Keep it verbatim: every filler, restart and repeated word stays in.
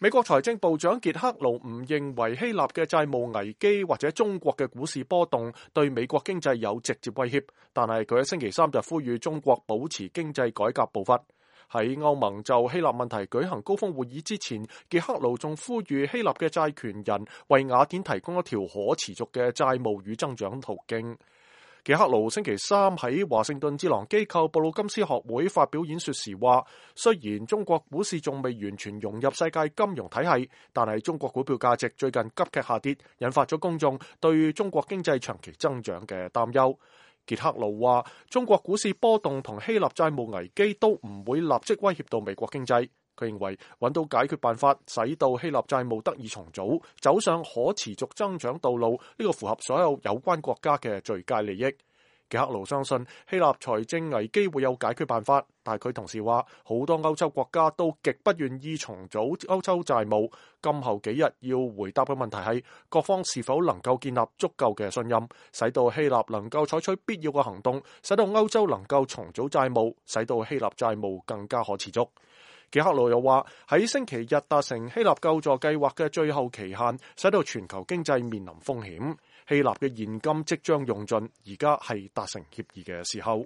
美國財政部長傑克盧唔認為希臘嘅債務危機或者中國嘅股市波動對美國經濟有直接威脅，但係佢喺星期三就呼籲中國保持經濟改革步伐。喺歐盟就希臘問題舉行高峰會議之前，傑克盧仲呼籲希臘嘅債權人為雅典提供一條可持續嘅債務與增長途徑。傑克盧星期三喺華盛頓智囊機構布魯金斯學會發表演說時話，雖然中國股市仲未完全融入世界金融體系，但係中國股票價值最近急劇下跌，引發咗公眾對中國經濟長期增長嘅擔憂。傑克盧話，中國股市波動同希臘債務危機都唔會立即威脅到美國經濟。佢認為揾到解決辦法，使到希臘債務得以重組，走上可持續增長道路，呢個符合所有有關國家嘅最佳利益。傑克盧相信希臘財政危機會有解決辦法，但係佢同時話，好多歐洲國家都極不願意重組歐洲債務。今後幾日要回答嘅問題係，各方是否能夠建立足夠嘅信任，使到希臘能夠採取必要嘅行動，使到歐洲能夠重組債務，使到希臘債務更加可持續。傑克盧又話，喺星期日達成希臘救助計劃嘅最後期限，使到全球經濟面臨風險。希臘嘅現金即將用盡，而家係達成協議嘅時候。